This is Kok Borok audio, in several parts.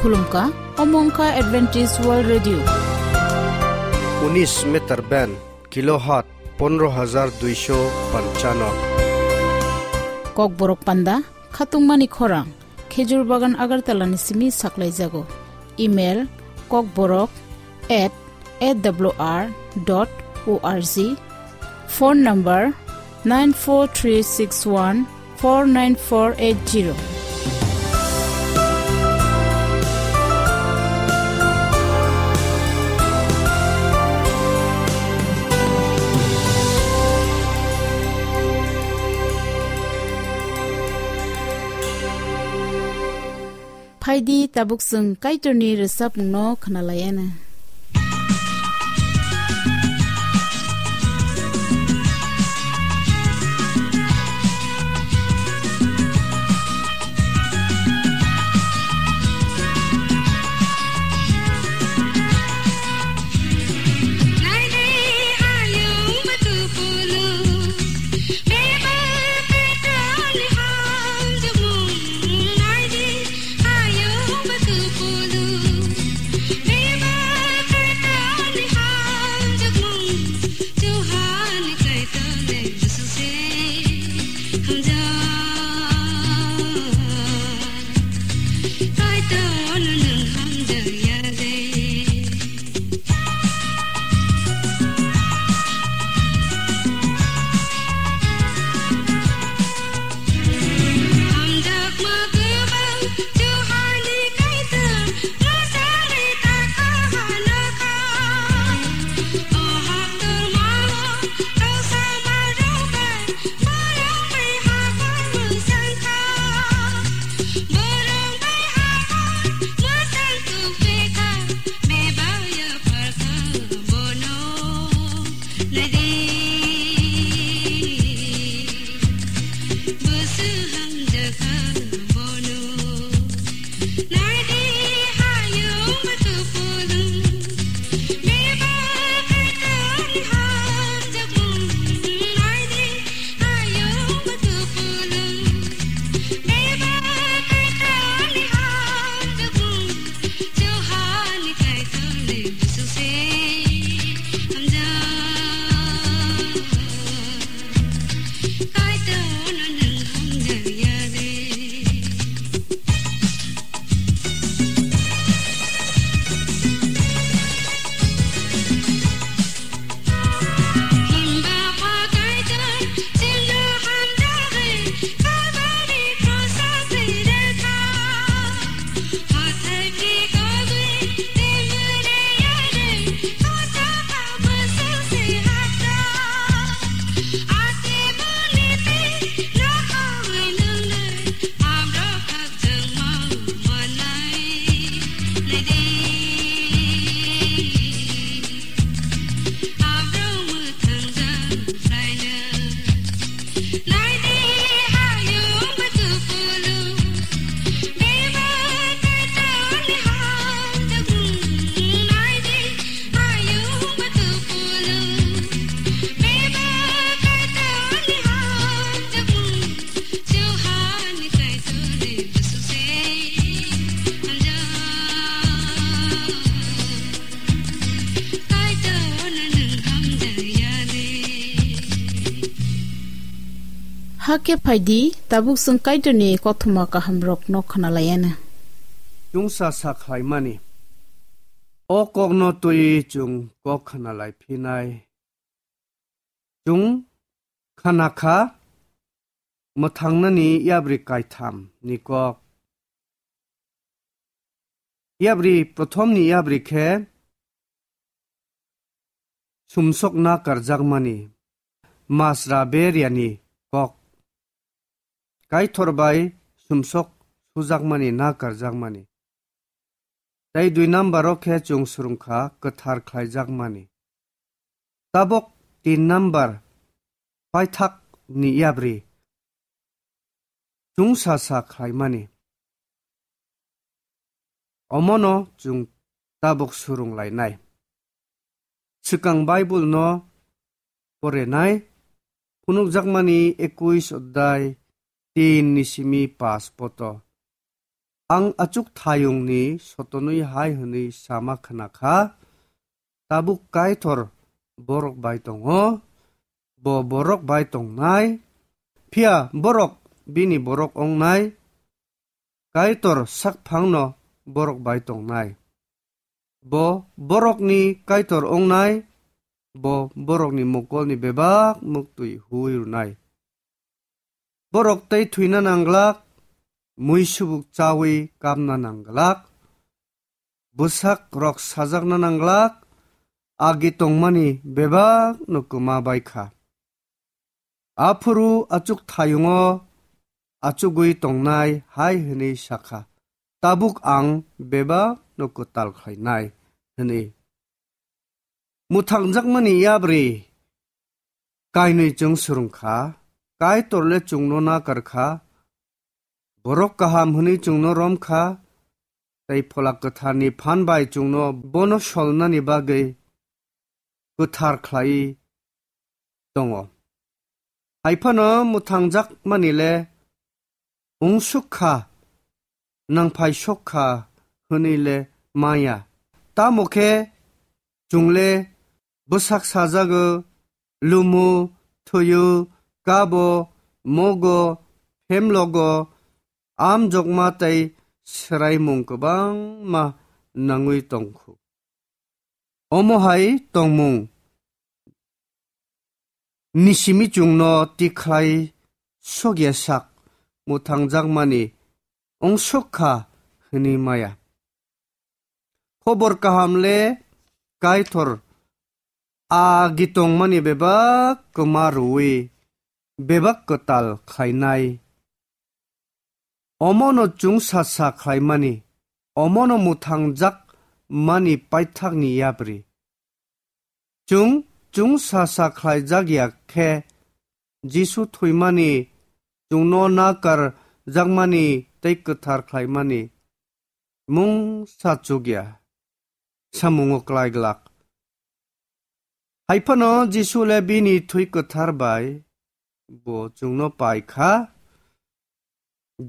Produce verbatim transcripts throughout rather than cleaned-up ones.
Khulumkha, omo wngkha Adventist World Radio. Unis meter band, kilohertz pondro hajar duisho panchano. Kokborok panda, khatungmani khorang, Khejur Bagan Agartala ni simi saklaijago. Email, kokborok at A W R dot O R G. Phone number nine four three six one four nine four eight zero. Phaidi tabuk chwng Kaitorni rwchapmungno khwnalaiana. Hakhe phaidi, tabuk chwng Kaitorni kothoma kahamrokno khwnalaiana. Chungsa sa khlaimani. O kokno twiwi chwng kok khwnalai phinai. Chwng khana kha mwthangnani yapri kaitham ni kok. Yapri prothom ni yapri khe sumsok na karjakmani, masra beriani kok. Kaitor bai sumsok sujakmani na karjakmani. Tei dui number o khe chwng swrwngkha kwthar khlaijakmani. Tabok tin number paithak ni yapri chwngsa sa khlaimani. Omono chwng tabok swrwng lainai. Swkang Bible no porenai, phunukjakmani ekuis odai tin ni simi pas poto. Ang achuk thayungni sotonwi hai hwnwi sama khna kha, tabuk Kaitor borok bai tongo, bo borok bai tongnai, phiya borok bini borok wngnai, Kaitor sakphangno borok bai tongnai. Bo borokni Kaitor wngnai, bo borokni mokolni bebak muktwi huwi rwnai. Borok tei thwina nangglak, mui subuk chawi kapna nangglak, bwsak rok sajakna nangglak, agi tongmani bebak no kwma bai kha. Aphuru achuk thayungo achugwi tongnai hai hwnwi sakha, "Tabuk ang bebak no kwtal khlainai," hwnwi. Mwthangjakmani yapri kainwi chwng swrwng kha, Kaitor le chwngno nakar kha, borok kaham hwnwi chwngno rom kha, tei Phola Kwtharni phan bai chwngno bono solnani bagwi kwthar khlai tongo. Hai phano mwthangjakmani le wngsuk kha, nangphai sok kha hwnwi le maya. Tamo khe chwng le bwsak sajago, lumu, thwiyo, kabo, mogo, phemlogo, amjokma tei swraimung kwbangma nangwi tongkhu. Omo hai tongmung ni simi chwngno tikhlai sokya sak mwthangjakmani wngsuk kha hwnwi maya. Khobor kaham le Kaitor agi tongmani bebak kwma rwui bebak kwtal khlainai. Omono chwngsa sa khlaimani, omono mwthangjak mani paithakni yapri. Chwng chwngsa sa khlaijak ya khe Jisu thwimani, chwngno nakar jakmani tei kwthar khlaimani mungsa chukya samungo klai glak. Hai phano Jisu le bini thwi kwthar bai bo chwngno pai kha,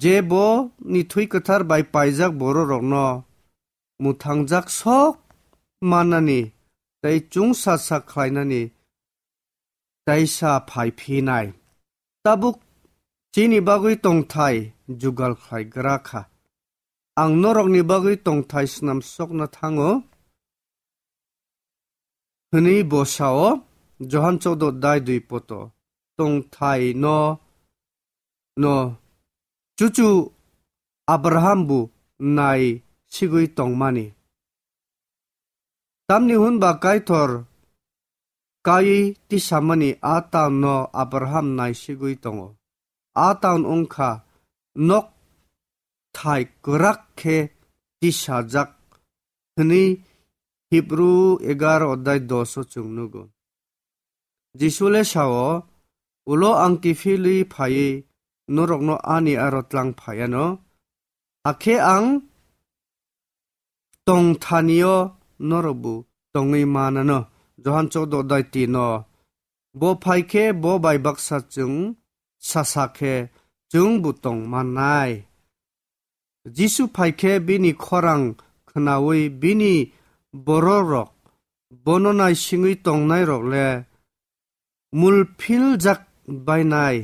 je bo ni thwi kwthar bai paijak bororokno mwthangjak sok mannani tei chwngsa sa khlainani taisa phai phinai. Tabuk chini bagwi tongthai jugal khlai gra kha. Ang norokni bagwi tongthai snam sokna thango, hwnwi bo sao, Johan choudo dai dui poto. Tongthai no, no chuchu Abraham bu nai sigwi tongmani. Tamni hwn ba Kaitor kaiwi tisamani a taun no Abraham nai sigwi tongo. A taun wngkha nok thai kwrak khe tisajak hwnwi Hibru egar odai dos o chwng nugo. Jisu le sao, "Ulo ang kiphilwi phaiwi norokno ani aro tlang phaiano, hakhe ang tongthanio norokbo tongwi manano." Johan choudo dai tin o. Bo phai khe bo bai baksa chwng sasa khe chwngbo tong mannai. Jisu phai khe bini khorang khnaui bini bororok, bono naisingwi tongnairok le mulphiljak bainai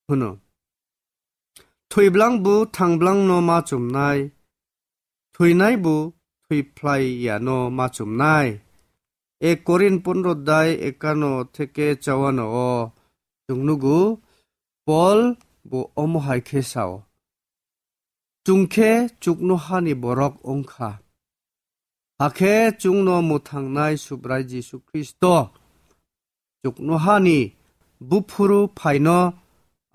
hwno. Thwiblang bo thangblangno ma chumnai, thwinai bo thwiphlai yano ma chumnai. Ek Korin pondro dai ekano theke chawano o chwng nugo, Pol bo omo hai khe sao, "Chwng khe chuknohani borok wng kha, hakhe chwngno mwthangnai Subrai Jisu Khristo chuknohani buphuru phaino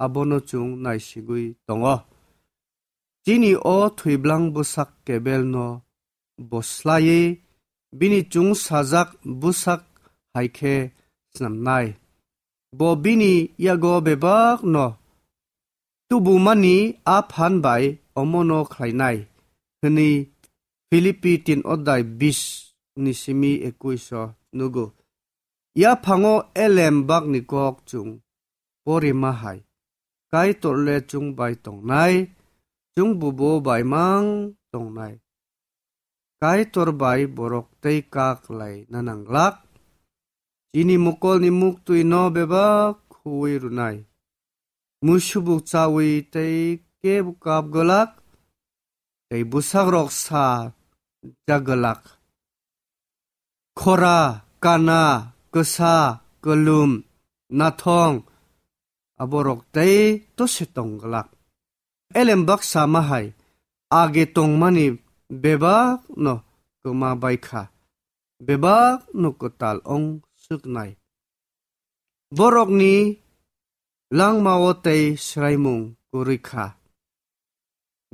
abono chwng naisigwi tongo." Chini o thwiblang bwsak kebelno bo slaiwi bini chwngsajak bwsak hai khe snamnai. Bo bini yago bebakno tubumani a phan bai omono khlainai, hwnwi Philippi tin odai bis ni simi ekuis o nugo. Yaphango elem bakni kok chwng porima hai, Kaitor le chwng bai tongnai, chwngbo bo bai mang tongnai. Kaitor bai borok tei kak lai na nang glak. Chini mokolni muktwi no bebak khuwi rwnai. Musubuk chawi tei kebo kap glak, tei bwsakrok sa jak glak. Khora, kana, kwsa, kwlwm, nathong, aborok tei tose tong glak. Elem baksa ma hai age tongmani bebak no kwma bai kha, bebak no kwtal ong swknai. Borokni langmao tei swraimung kwrwi kha.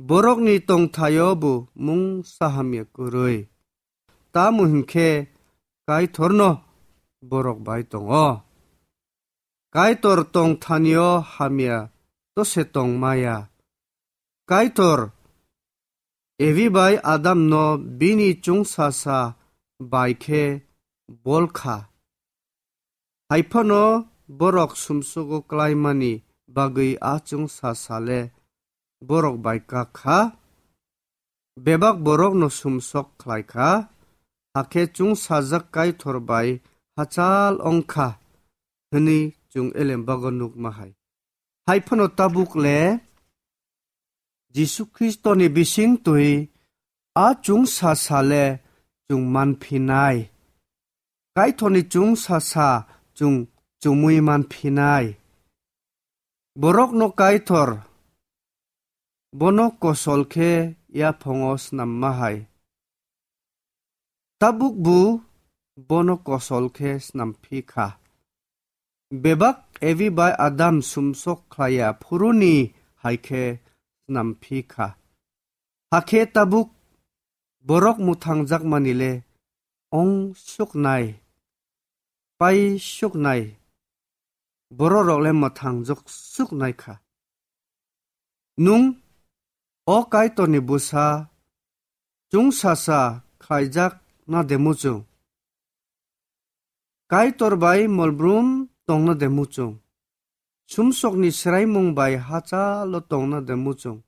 Borokni tongthaio bo mungsa hamya kwrwi. Tamo hinkhe Kaitorno borok bai tongo. Kaitor tongthanio hamya tose tongmaya. Kaitor Evi bai Adamno bini chwngsasa bai khe bol kha. Haiphano borok sumsugo klaimani bagwi a chwngsasa le borok bai kak kha. Bebak borokno sumsok khlai kha, hakhe chwngsajak Kaitor bai hachal ong kha, hwnwi chwng elembago nukma hai. Haiphano tabuk le Jisu Khristoni bisingtwi a chwngsasa le chwng manphinai. Kaitorni chwngsasa chwng chumui manphinai. Borokno Kaitor bono kosol khe yaphongo snamma hai. Tabukbo bono kosol khe snam phi kha. Bebak Evi bai Adam sumsok khlaiya phuruni hai khe snam phi kha. Hakhe tabuk borok mwthangjakmani le ong suknai, pai suknai, bororok le mwthangjak suknai kha. Nwng o Kaitorni bwsa chwngsasa khlaijak na de muchung? Kaitor bai molbrum tongna de muchung? Sumsokni swraimung bai hachalo tongna de muchung?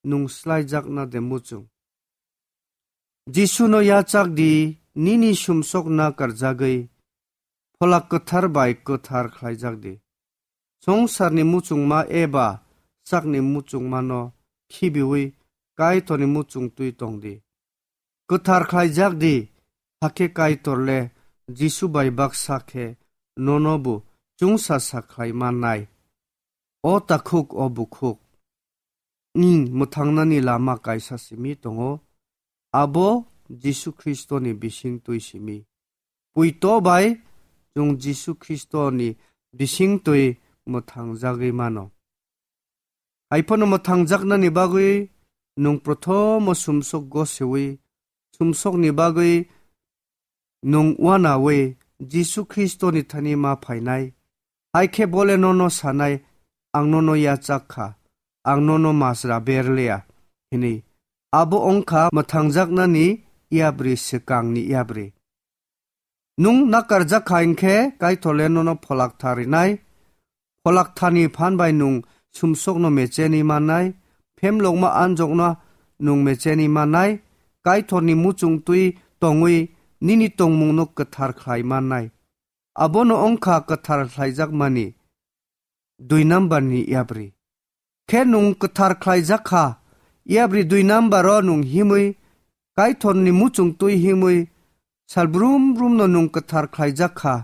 Nwng slaijakna de muchung? Jisuno yachak di, nini sumsok na karjagwi Pholak Kwthar bai kwthar khlaijak di. Songsarni muchungma eba sakni muchungmano khibiwi Kaitorni muchungtwi tong di. Kwthar khlaijak di, hakhe Kaitor le Jisu bai baksa khe nono bo chwngsasa khlai mannai. O takhuk, o bukhuk, nwng mwthangnani lama kaisa simi tongo, abo Jisu Khristoni bisingtwi simi. Puito bai chwng Jisu Khristoni bisingtwi mwthangjagwi mano. Haiphano mwthangjaknani bagwi nwng prothomo sumsok gosewi, sumsokni bagwi nwng uanawi Jisu Khristoni thani ma phainai. Hai khe bole nono sanai, "Ang nono yachak kha, ang nono masra berliya," hwnwi. Abo wngkha mwthangjaknani yapri swkangni yapri. Nwng nakarjak kha hinkhe Kaitor le nono pholak tha rinai. Pholak thani phan bai nwng sumsokno mecheni mannai, phemlokma anjokno nwng mecheni mannai, Kaitorni muchungtwi tongwi nini tongmungno kwthar khlai mannai. Abono wngkha kwthar khlaijakmani dui number ni yapri. Khe nwng kwthar khlaijak kha, yapri dui number o nwng himwi, Kaitorni muchungtwi himwi, sal brum brum no nwng kwthar khlaijak kha.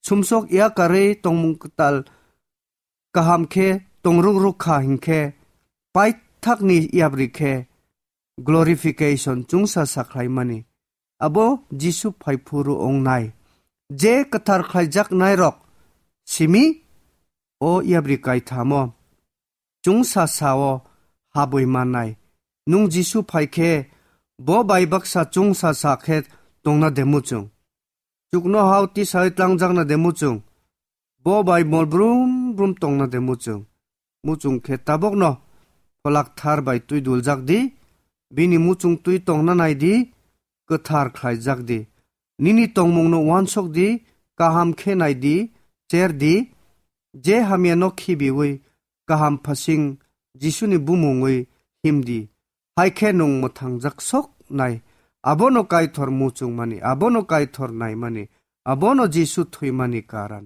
Sumsok yakarwi tongmung kwtal kaham khe tongruk ruk kha hinkhe, paithakni yapri khe glorification chwngsa sakhlaimani. Abo Jisu phai phuru wngnai. Je kwthar khlaijaknairok simi o yapri kaithamo chwngsa sao habwi mannai. Nwng Jisu phai khe bo bai baksa chwngsa sa khe tongna de muchung? Chuknohao tisai tlangjakna de muchung? Bo bai mol brum brum tongna de muchung? Muchung khe tabokno pholak thar bai twi duljak di, bini muchungtwi tongna nai di, kwthar khlaijak di. Nini tongmungno uansuk di, kaham khe nai di, cher di, je hamyano khibiwi kaham phasing Jisuni bumungwi himdi. Hai khe nwng mwthangjak sok nai. Abono Kaitor muchungmani, abono Kaitor naimani, abono Jisu thwimani karan.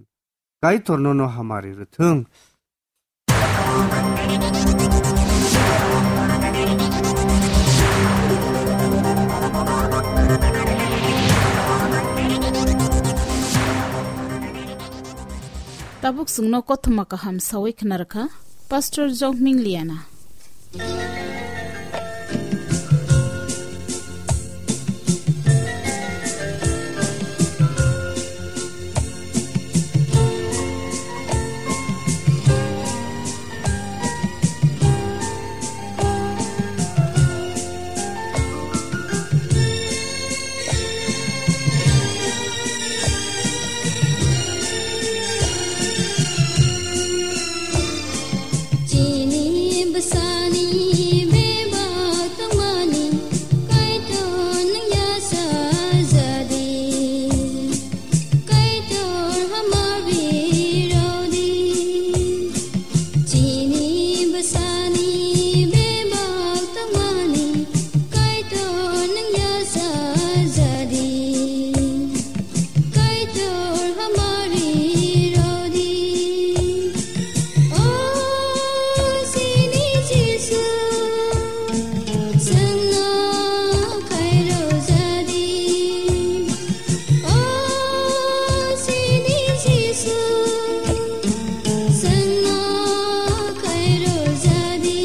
Kaitor nono hamari rwthwng. Tabuk chwngno kothoma kaham sawi khna rwkha Pastor Jokming Liana. Chini bwsani bebak tongmani Kaitor nwng yachajadi. Kaitor hamari rodi. Chini bwsani bebak tongmani Kaitor nwng yachajadi. Kaitor hamari rodi. O chini Jisu, chwngno khairojadi. O chini Jisu, chwngno khairojadi.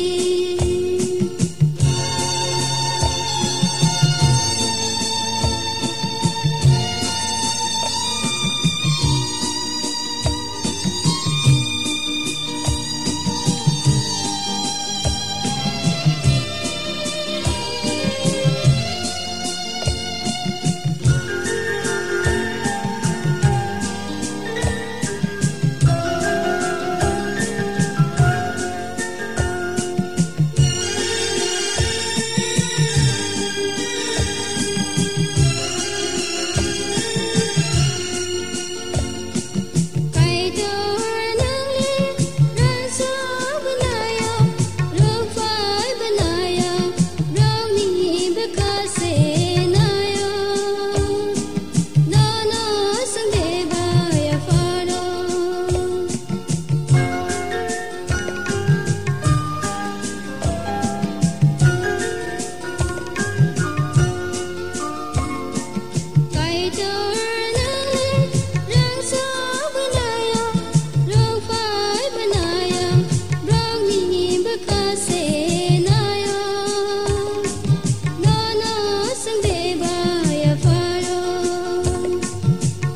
Nono swngde baya pharo,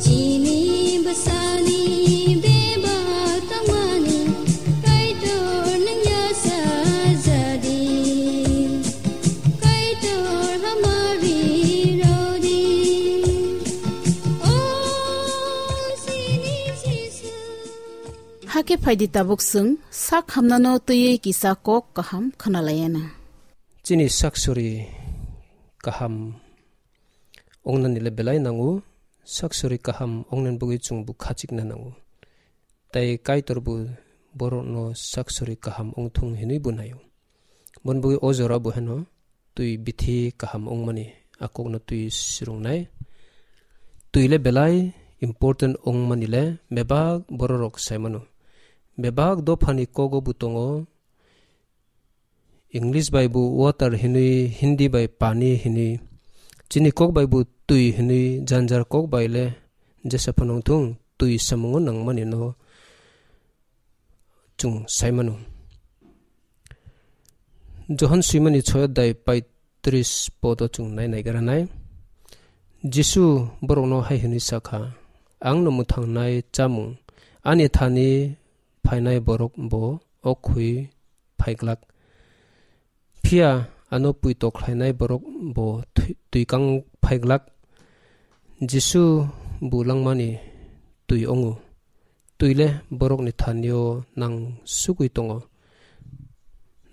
chini bwsani bebak tongmani Kaitor nwng yachajadi, Kaitor hamari rodi. O chini Jisu. Hakhe phaidi tabuk chwng sak hamnano twiwi kisa kok kaham khwnalayana. Chini saksuri kaham ongnani le belai nango, saksuri kaham ongnani bagwi chwngbo khachikna nango. Tai Kaitorbo borokno saksuri kaham ongthung hinwi bo naio. Boni bagwi o jora bo heno twi bithi kaham wngmani, a kokno twi swrwngnai. Twi le belai important wngmani le bebak bororok sai mano. Bebak dophani kogo bo tongo, English bai bo water hinwi, Hindi bai pani hinwi, chini kok bai bo twi hinwi, janjar kok bai le jesa phano wngthung, twi samungo nangmani no chwng sai mano. Johon swimani chhoi adhyay paitris podo chwng nai naigra nai. Jisu borokno hai hwnwi sa kha, "Ang no mwthangnai chamung, ani thani phainai borok bo o khwi phai glak. Phiya ano puito khlainai borok bo twi-, twi kang phai glak." Jisu bo langmani twi wngo. Twi le borokni thanio nang sugwi tongo.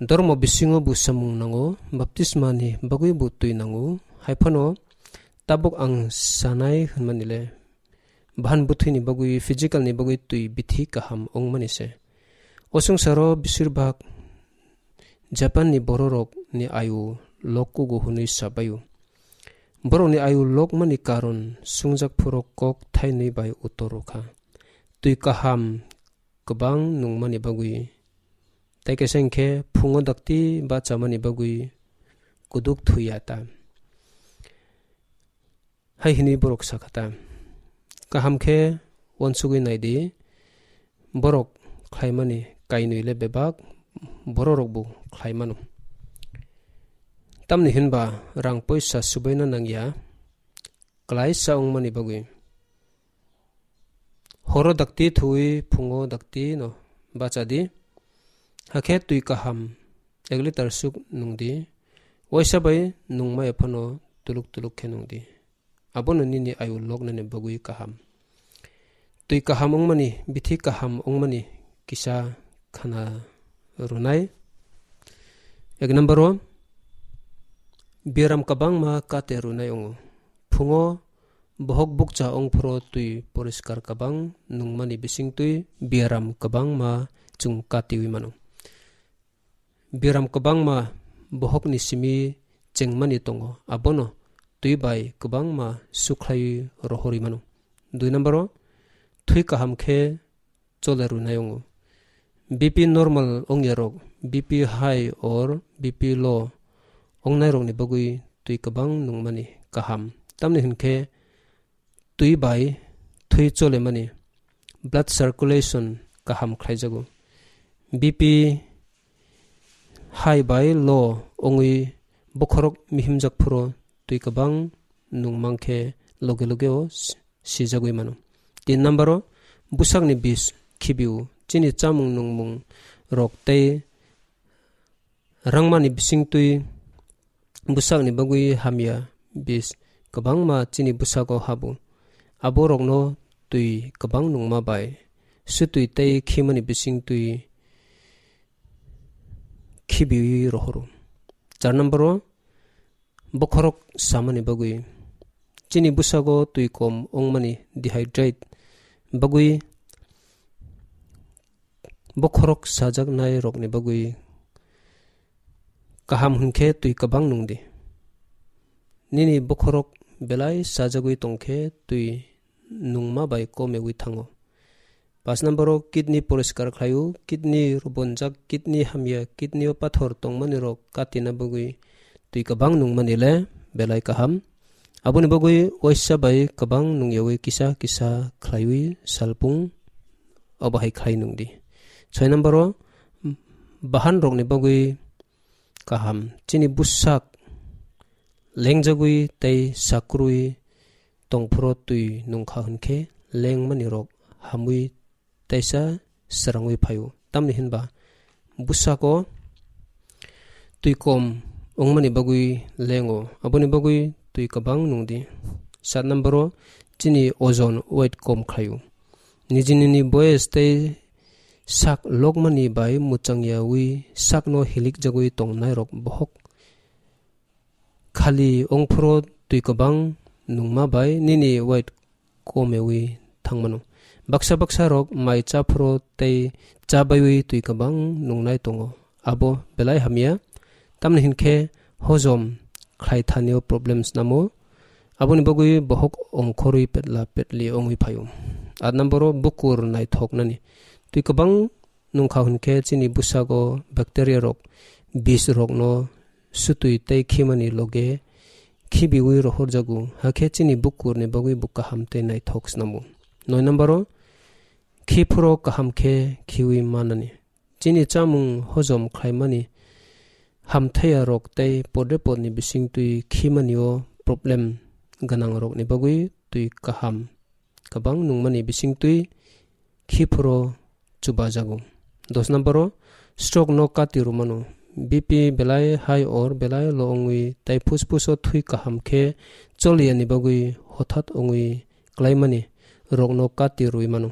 Dormo bisingo bo samung nango, baptismani bagwi bo twi nango. Hai phano tabuk ang sanai hwnmani le bahan bwthwini bagwi, physical ni bagwi twi bithi kaham wngmani se. O swngcharo beshirbak Japan ni bororok ni ayu lok kugo hwnwi sabaio. Borok ni ayu lokmani karon sungjak phuru kok thainwi bai uttor rwkha. Twi kaham kwbang nungmani bagwi, tei kaisa hinkhe phungo dakti bachamani bagwi kuduk thuya ta. Hai hwnwi borok sakha ta, kaham khe uansugwi nai di, borok khlaimani kainwi le bebak bororok bo khlai mano. Tamni hinba rang poisa subaina nangya, klaisa wngmani bagwi. Horo dakti thuwi phungo dakti no bacha di. Hakhe twi kaham ek litar suk nung di. Waisa bai nungmaya phano tuluk tuluk khe nung di. Abono nini ayu loknani bagwi kaham. Twi kaham wngmani, bithi kaham wngmani kisa khana rwnai. Ek number o, biaram kwbangma kate rwnai wngo. Phungo bohok bukcha wngphuru twi poriskar kwbang nungmani bisingtwi biaram kwbangma chwng katiwi mano. Biaram kwbangma bohokni simi chengmani tongo, abono twi bai kwbangma sukhlaiwi rohorwi mano. Dui number o, thwi kaham khe chole rwnai wngo. B P normal wngyarok, B P high or B P low wngnairokni bagwi twi kwbang nungmani kaham. Tamni hinkhe twi bai thwi cholemani, blood circulation kaham khlaijago. B P high bai low wngwi bokhorok mihimjak phuru twi kwbang nungmang khe loge loge o si-, sijagwi mano. Tin number o, bwsakni bis khibio. Chini chamung nungmung rok tei rangmani bisingtwi bwsakni bagwi hamya bis kwbangma chini bwsago habo. Aborokno twi kwbang nungma bai swtwi tei khimani bisingtwi khibiwi rohoro. Char number o, bokhorok samani bagwi. Chini bwsago twi kom wngmani, dehydrate, bagwi bokhorok sajaknai rokni bagwi kaham hwnkhe twi kwbang nung di. Nini bokhorok belai sajagwi tongkhe twi nungma bai komewi thango. Paanch number o kidney poriskar khlaio, kidney rubonjak, kidney hamya, kidney o pathor tongmani rok katina bagwi twi kwbang nungmani le belai kaham. Aboni bagwi waisa bai kwbang nungyawi kisa kisa khlaiwi salpung obo hai khlai nung di. Soi number o bahan rokni bagwi kaham. Chini bwsak lengjagwi tei sakrwi tongphuru twi nungkha hwnkhe lengmani rok hamwi teisa srangwi phaio. Tamni hinba bwsako twi kom wngmani bagwi lengo, aboni bagwi twi kwbang nung di. Sat number o chini ojon, weight, kom khlaio. Niji nini boyes tei sak lokmani bai mwchangyawi sakno hilikjagwi tongnai rok bohok khali wngphuru twi kwbang nungma bai nini weight komewi thangmano. Baksa baksa rok mai chaphuru tei chabaiwi twi kwbang nungnai tongo. Abo belai hamya. Tamni hinkhe hojom khlai thanio problem snamo. Aboni bagwi bohok ongkhorwi petla petli wngwi phaio. Aat number o bukur naithoknani. Twi kwbang nungkha hwnkhe chini bwsago bacteria rok, bis rokno sutwi tei khimani loge khibiwi rohorjago, hakhe chini bukurni bagwi bo kaham tei naithok snamo. Noi number o, khiphuru kaham khe khiwi manani. Chini chamung hojom khlaimani hamthaya rok tei podre podni bisingtwi khimani o problem gwnang rokni bagwi twi kaham kwbang nungmani bisingtwi khiphuru chubajago. Dos number o, stroke no kati rwmano. B P belai high or belai low wngwi tei phusphus o thwi kaham khe choliyani bagwi hothat wngwi klaimani rokno kati rwi mano.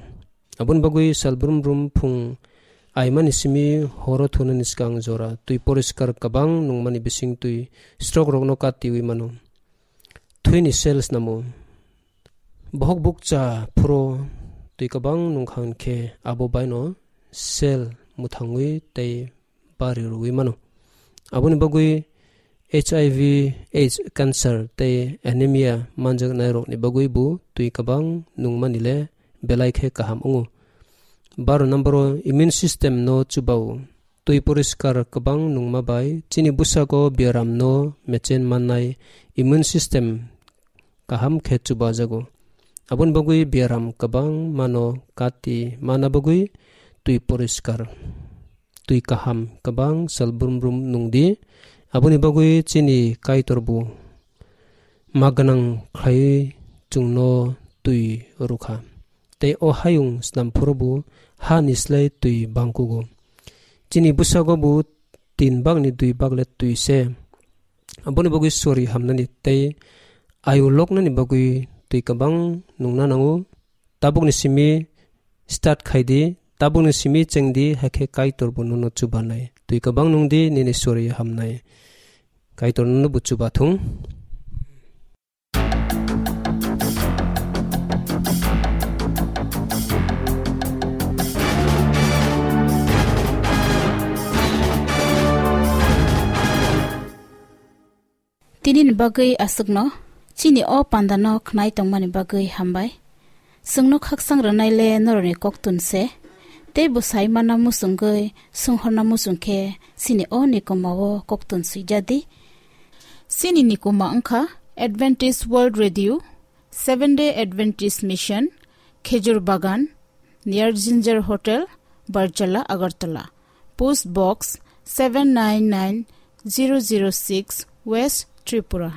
Aboni bagwi sal brum brum phung aimani simi horo thunani swkang jora twi poriskar kwbang nungmani bisingtwi stroke rokno katiwi mano. Thwini cells namo. Bohok bukcha phuru twi kwbang nungkha hwnkhe abo baino cell mwthangwi tei bari rwwi mano. Aboni bagwi H I V, AIDS, cancer tei anemia manjaknairokni bagwi bo twi kwbang nungmani le belai khe kaham wngo. Baro number o immune system no chubao. Twi poriskar kwbang nungma bai chini bwsago biaram no mechen mannai immune system kaham khe chubajago. Aboni bagwi biaram kwbang mano kati mana bagwi twi poriskar, twi kaham kwbang sal brum brum nungdi. Aboni bagwi chini Kaitor bo ma gwnang khlaiwi chwngno twi rwkha. Tei o hayung snam phuru bo ha ni slai twi bangkugo. Chini bwsago bo tin bagni dui bag le twi se. Aboni bagwi sori hamnani tei ayu loknani bagwi twi kwbang nungna nango. Tabukni simi start khaidi, tabukni simi chengdi, hakhe Kaitor bo nono chubanai. Twi kwbang nungdi, nini sori hamnai. Kaitor nono bo chubathung. Tini ni bagwi aswkno, chini o panda no khnai tongmani bagwi hambai. Chwngno khaksang rwnai le norokni koktun se, tei bwsai mana muchungwi swnghorna muchung khe chini o nikoma o koktun swijadi. Chini nikoma wngkha Adventist World Radio, Seventh Day Adventist Mission, Khejur Bagan, near Ginger Hotel, Barjala, Agartala. Post Box seven nine nine zero zero six, West Tripura.